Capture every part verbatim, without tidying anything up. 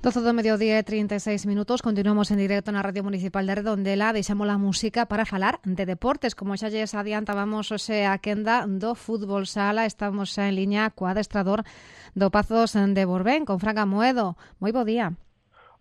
doce do mediodía e trinta e seis minutos, continuamos en directo na Radio Municipal de Redondela. Deixamos a música para falar de deportes. Como xa lles adiantábamos hoxe a quenda do fútbol sala, estamos xa en liña co adestrador do Pazos de Borbén, con Fran Amoedo. Moi bo día.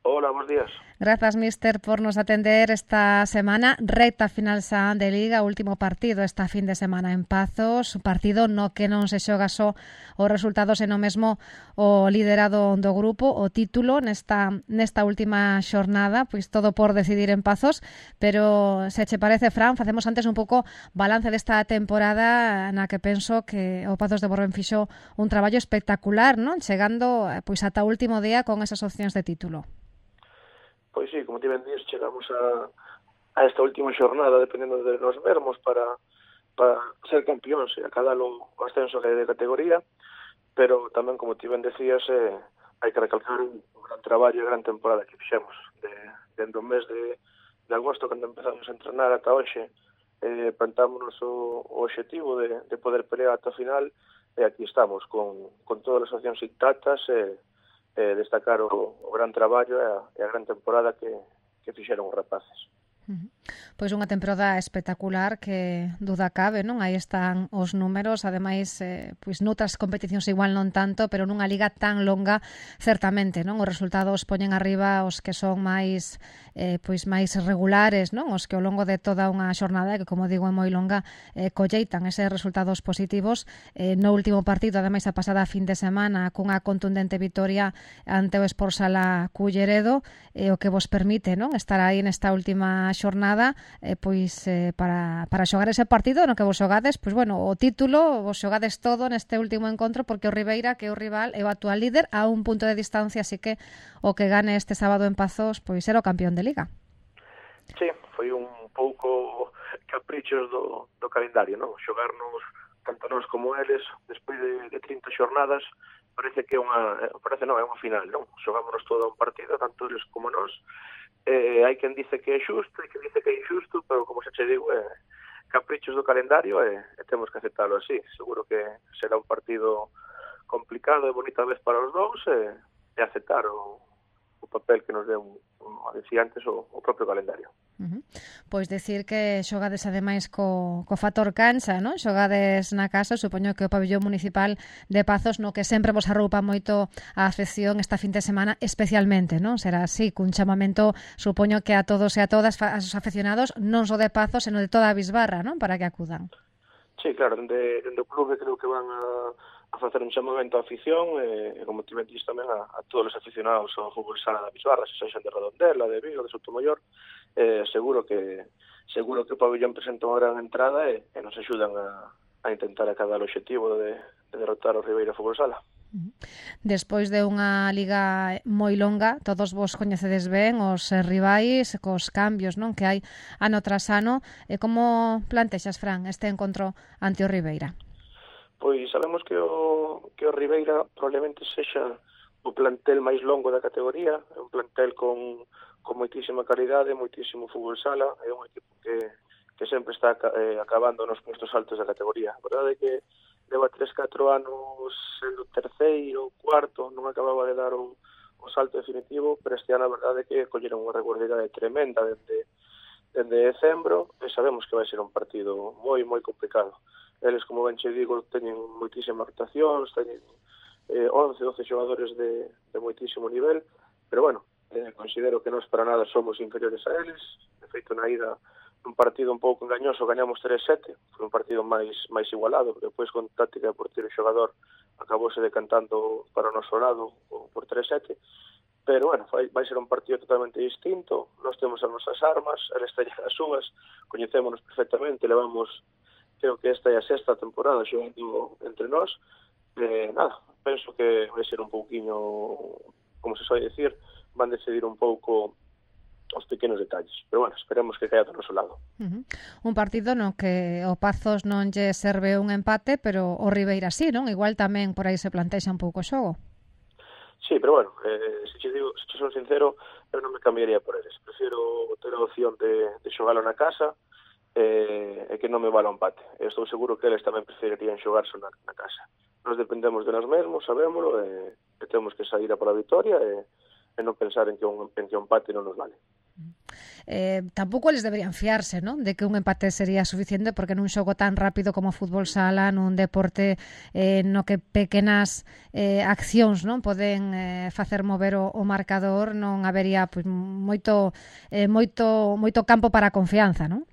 Hola, bons días. Grazas, mister, por nos atender esta semana. Recta final xa de Liga, último partido esta fin de semana en Pazos, partido no que non se xoga só os resultados e no mesmo o liderado do grupo, o título nesta nesta última xornada, pois todo por decidir en Pazos, pero se che parece, Fran, facemos antes un pouco balance desta temporada na que penso que o Pazos de Borbén fixo un traballo espectacular, non? Chegando pois ata o último día con esas opcións de título. Pois sí, como ti ben dís, chegamos a, a esta última xornada, dependendo de nos vermos, para, para ser campións e acadar o ascenso de categoría, pero tamén, como ti ben decías, eh, hai que recalcar un gran traballo e gran temporada que fixemos. De, dentro do mes de, de agosto, cando empezamos a entrenar ata hoxe, eh, plantámonos o, o objetivo de, de poder pelear ata o final, e aquí estamos, con, con todas as opcións intactas, e eh, Eh, destacar o, o gran traballo e a, e a gran temporada que, que fixeron os rapaces. Uh-huh. Pois unha temporada espectacular que duda cabe, non? Aí están os números, ademais, eh, pois noutras competicións igual non tanto, pero nunha liga tan longa, certamente, non? Os resultados poñen arriba os que son máis eh, pois máis regulares, non? Os que ao longo de toda unha xornada, que como digo é moi longa, eh, colleitan eses resultados positivos. Eh, no último partido, ademais, a pasada fin de semana, cunha contundente vitoria ante o Sport Sala Culleredo, eh, o que vos permite, non? Estar aí nesta última xornada, eh, pois eh, para, para xogar ese partido no que vos xogades, pois bueno, o título vos xogades todo neste último encontro, porque o Ribeira, que é o rival, é o actual líder a un punto de distancia, así que o que gane este sábado en Pazos, pois era o campeón de Liga. Sí, foi un pouco caprichos do, do calendario, non? Xogarnos tanto nós como eles despois de, de trinta xornadas, parece que é unha, parece non, é unha final, non? Xogámonos todo un partido, tanto eles como nós. Eh, hai quen dice que é xusto, hai quen dice que é injusto, pero como xa che digo, é caprichos do calendario e, e temos que aceptarlo así. Seguro que será un partido complicado e bonita vez para os dous e, e aceptar o, o papel que nos deu, como decía antes, o, o propio calendario. Uh-huh. Pois decir que xogades ademais co, co factor cancha, non? Xogades na casa, supoño que o pabellón municipal de Pazos, no que sempre vos arroupa moito a afección esta fin de semana, especialmente, non? Será así, cun chamamento, supoño que a todos e a todas os afeccionados, non só de Pazos, senón de toda a Bisbarra, non? Para que acudan. Sí, claro, dende, dende o clube creo que van a, a facer un chamamento á afición e, como ti ben dís tamén a, a todos os aficionados ao fútbol sala da Bisbarra, se sexan de Redondela, de Vigo, de Sotomayor. Eh, seguro que seguro que o pabellón presenta unha gran entrada e, e nos axudan a, a intentar acadar o objetivo de, de derrotar o Ribeira Fútbol Sala. Despois de unha liga moi longa, todos vos coñecedes ben os rivais, cos cambios, non, que hai ano tras ano. E como plantexas, Fran, este encontro ante o Ribeira? Pois sabemos que o, que o Ribeira probablemente sexa o plantel máis longo da categoría, é un plantel con con moitísima calidade, moitísimo fútbol sala, é un equipo que, que sempre está eh, acabando nos postos altos da categoría. A verdade é que leva tres catro anos sendo terceiro, cuarto, non acababa de dar o, o salto definitivo, pero este ano a verdade é que colleron unha regularidade tremenda dende, dende decembro, e sabemos que vai ser un partido moi, moi complicado. Eles, como ben che digo, teñen moitísimas rotacións, teñen eh, once, doce xogadores de, de moitísimo nivel, pero bueno, Eh, considero que nós para nada somos inferiores a eles. De feito, na ida un partido un pouco engañoso, gañamos tres sete, foi un partido máis máis igualado, depois con táctica de portero e xogador acabouse decantando para o noso lado por tres sete, pero bueno, vai, vai ser un partido totalmente distinto. Nós temos as nosas armas, eles teñen as súas, coñecémonos perfectamente, levamos, creo que esta é a sexta temporada xogando entre nós. Eh, nada, penso que vai ser un pouquiño, como se soe dicir, van decidir un pouco os pequenos detalles. Pero bueno, esperemos que caia do noso lado. Uh-huh. Un partido no que o Pazos non lle serve un empate, pero o Ribeira sí, non? Igual tamén por aí se plantexa un pouco o xogo. Sí, pero bueno, eh, se che digo, se che son sincero, eu non me cambiaría por eles. Prefiro ter a opción de, de xogalo na casa eh, e que non me vale o empate. Eu estou seguro que eles tamén preferirían xogarse na, na casa. Nos dependemos de nós mesmos, sabémolo, e, e temos que sair a pola victoria e e non pensar en que un, en que un empate non nos vale. Eh, tampouco eles deberían fiarse, non? De que un empate sería suficiente, porque nun xogo tan rápido como o fútbol sala, nun deporte eh, no que pequenas eh, accións non poden eh, facer mover o, o marcador, non habería pois, moito, eh, moito, moito campo para a confianza, non?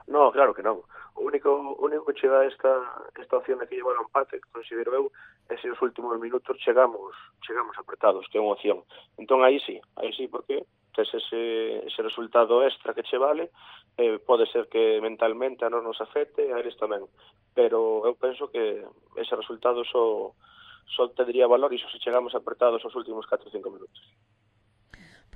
No, claro que non. O único, o único que chega esta, esta opción de que llevar o empate, considero eu, é se os últimos minutos chegamos chegamos apretados, que é unha opción. Entón aí sí, aí sí, porque tes ese, ese resultado extra que che vale, eh, pode ser que mentalmente a non nos afecte, a eles tamén. Pero eu penso que ese resultado só, só tendría valor iso se chegamos apretados os últimos catro ou cinco minutos.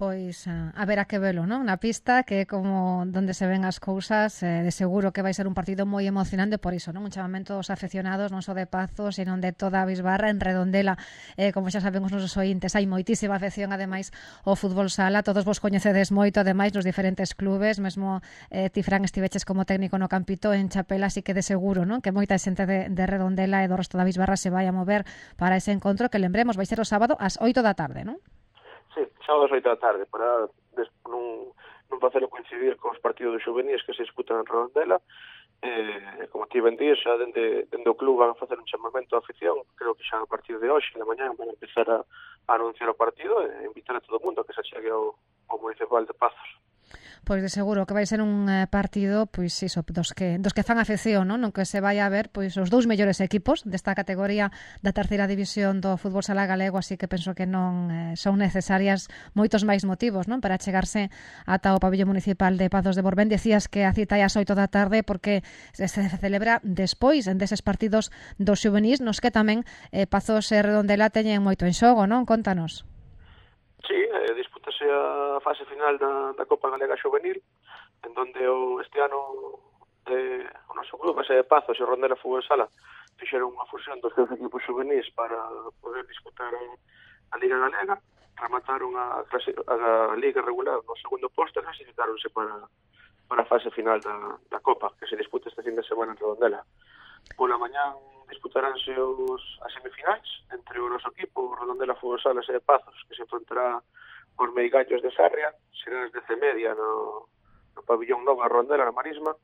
Pois a, a ver a que velo, non? Na pista, que é como donde se ven as cousas, eh, de seguro que vai ser un partido moi emocionante por iso, non? Un chamamento aos aficionados, non só de Pazos, sino de toda a Bisbarra, en Redondela, eh, como xa saben os nosos ointes, hai moitísima afección, ademais, ao fútbol sala, todos vos coñecedes moito, ademais, nos diferentes clubes, mesmo eh, ti, Fran, estiveches como técnico no Campito en Chapela, así que de seguro, non? Que moita xente de, de Redondela e do resto da Bisbarra se vai a mover para ese encontro, que lembremos, vai ser o sábado ás oito da tarde, non? Sí, sábado ás oito da tarde, para des, non, non facelo coincidir cos partidos de xuveníes que se disputan en Redondela. Eh, como ti ben días, xa dende, dende o club van a facer un chamamento á afición, creo que xa a partir de hoxe, na mañá, van a empezar a, a anunciar o partido e invitar a todo o mundo que se achegue ao, ao municipal de Pazos. Pois de seguro que vai ser un eh, partido pois iso, dos que dos que fan afección, non? Non que se vai a ver pois os dous mellores equipos desta categoría da terceira división do fútbol sala galego, así que penso que non eh, son necesarias moitos máis motivos, non? Para chegarse ata o pabellón municipal de Pazos de Borbén. Decías que a cita é ás oito da tarde porque se celebra despois deses partidos dos xuvenís, nos que tamén eh, Pazos e Redondela teñen moito en xogo, non? Contanos. Sí, eh, dispútase a fase final da, da Copa Galega Xuvenil, en donde o, este ano eh, o noso club, ese de Pazos e o Redondela Fútbol Sala, fixeron unha fusión dos seus equipos xuvenís para poder disputar a, a Liga Galega, remataron a, a, a Liga regular no segundo posto e clasificáronse para, para a fase final da, da Copa, que se disputa este fin de semana en Redondela. Pola mañán disputaránse os, as semifinais entre o noso equipo, o Redondela Fútbol Sala e de Pazos, que se enfrentará os Meigallos de Sarria, será as dez e media no, no pabillón Nova Redondela, na Marisma,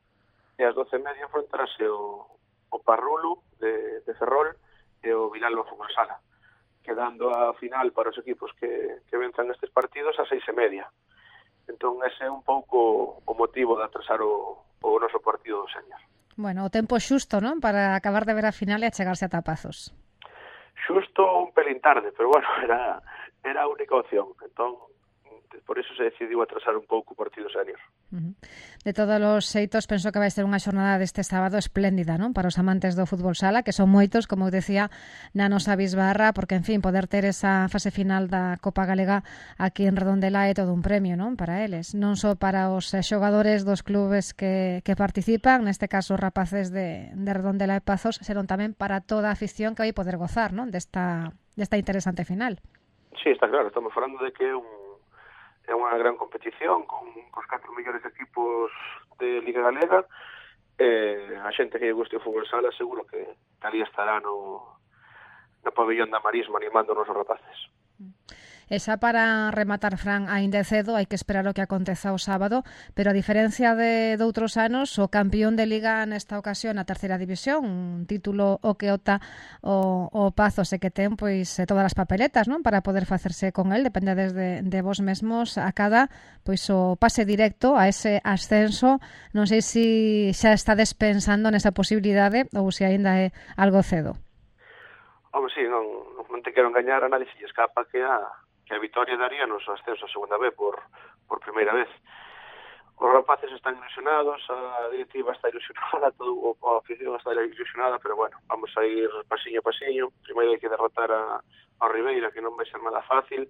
e ás doce e media enfrentarase o, o Parrulo de, de Ferrol e o Vilalba Fútbol Sala, quedando a final para os equipos que, que venzan estes partidos a seis e media. Entón, ese é un pouco o motivo de atrasar o, o noso partido do Señor. Bueno, o tempo xusto, non? Para acabar de ver a final e achegarse a Pazos. Xusto un pelín tarde, pero bueno, era, era a única opción. Entón, por eso se decidiu atrasar un pouco o partido senior. Uh-huh. De todos os xeitos, penso que vai ser unha xornada deste sábado espléndida, non? Para os amantes do fútbol sala, que son moitos, como eu decía, na nosa Bisbarra, porque, en fin, poder ter esa fase final da Copa Galega aquí en Redondela é todo un premio, non? Para eles, non só para os xogadores dos clubes que, que participan, neste caso os rapaces de, de Redondela e Pazos, senón tamén para toda a afición que vai poder gozar, non? Desta, desta interesante final. Sí, está claro, estamos falando de que é un é unha gran competición con os catro mellores equipos de Liga Galega. Eh, a xente que lle guste o fútbol sala seguro que ali estará no, no pabellón da Marisma animando os nosos rapaces. E xa para rematar, Fran, aínda é cedo, hai que esperar o que aconteza o sábado, pero a diferencia de, de outros anos, o campión de Liga nesta ocasión na terceira división, un título o que opta o, o Pazos e que ten pois todas as papeletas, non? Para poder facerse con el, depende desde de vos mesmos a cada pois o pase directo a ese ascenso. Non sei se xa está despensando nesa posibilidade ou se aínda é algo cedo. Home, sí, non, non te quero engañar, a nadie se escapa que a que a Vitoria daría nos ascenso a segunda vez por, por primeira vez. Os rapaces están ilusionados, a directiva está ilusionada, todo, a afición está ilusionada, pero bueno, vamos a ir pasiño a pasiño. Primeiro hai que derrotar a, a Ribeira, que non vai ser nada fácil,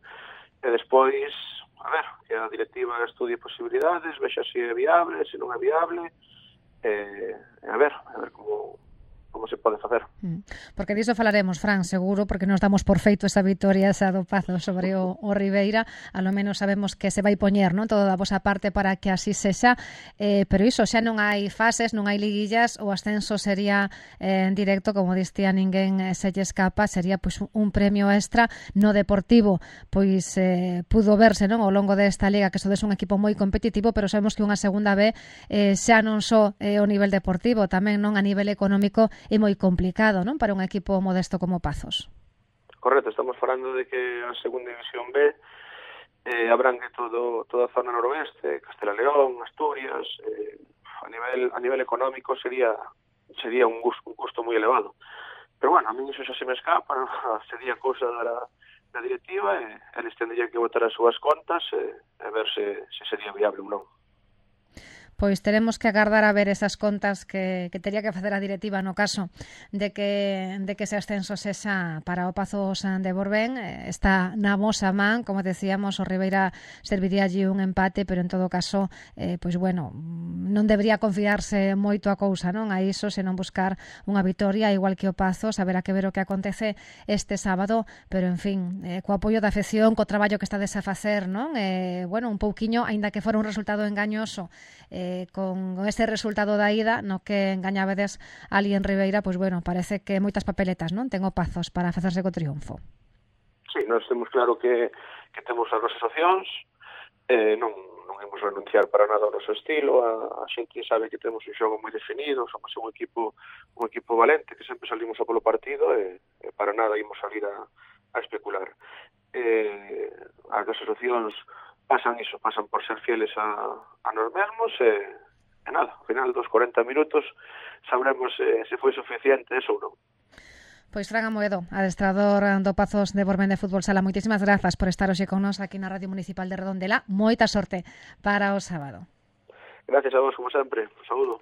e despois, a ver, que a directiva estudie posibilidades, vexa se é viable, se non é viable, e, a ver, a ver como, como se pode facer. Porque diso falaremos, Fran, seguro, porque nos damos por feito esa vitoria esa do Pazo sobre o, o Ribeira, a lo menos sabemos que se vai poñer, non, todo da vosa parte para que así sexa, eh, pero iso, xa non hai fases, non hai liguillas, o ascenso sería eh, en directo, como distía ninguén eh, se lle escapa, sería pois un premio extra no Deportivo, pois eh, pudo verse, non, ao longo desta liga que sodes un equipo moi competitivo, pero sabemos que unha segunda B eh, xa non só eh, o nivel deportivo, tamén non a nivel económico é moi complicado, non, para un equipo modesto como Pazos. Correcto, estamos falando de que a segunda división B eh, abrangue todo, toda a zona noroeste, Castela León, Asturias, eh, a nivel a nivel económico sería sería un gusto, un gusto moi elevado. Pero bueno, a mí iso xa se me escapa, ¿no? Sería cousa da, da directiva e eles tendrían que botar as súas contas e, e ver se, se sería viable ou non. Pois teremos que agardar a ver esas contas que, que teria que facer a directiva no caso de que de que ese ascenso sexa para o Pazos de Borbén. Está na vosa man, como decíamos, o Ribeira serviría allí un empate, pero en todo caso, eh, pois bueno, non debería confiarse moito a cousa, non? A iso, senón buscar unha vitoria, igual que o Pazos, haberá que ver o que acontece este sábado, pero en fin, eh, co apoio da afección, co traballo que estades a facer, non? Eh, bueno, un pouquiño, aínda que fora un resultado engañoso, eh, con ese resultado da ida no que engañabedes ali en Ribeira, pois bueno, parece que moitas papeletas, non? Ten o Pazos para facerse co triunfo. Sí, nós temos claro que, que temos as nosas opcións, eh, non, non imos renunciar para nada ao noso estilo, a, a xente sabe que temos un xogo moi definido, somos un equipo un equipo valente, que sempre salimos a polo partido e, e para nada imos salir a, a especular. Eh, as nosas opcións pasan iso, pasan por ser fieles a, a nos mesmos e, e nada, ao final dos cuarenta minutos sabremos eh, se foi suficiente eso ou non. Pois Fran Amoedo, adestrador do Pazos de Borbén de Fútbol Sala, moitísimas grazas por estar hoxe con nos aquí na Radio Municipal de Redondela. Moita sorte para o sábado. Gracias a vos, como sempre. Un saúdo.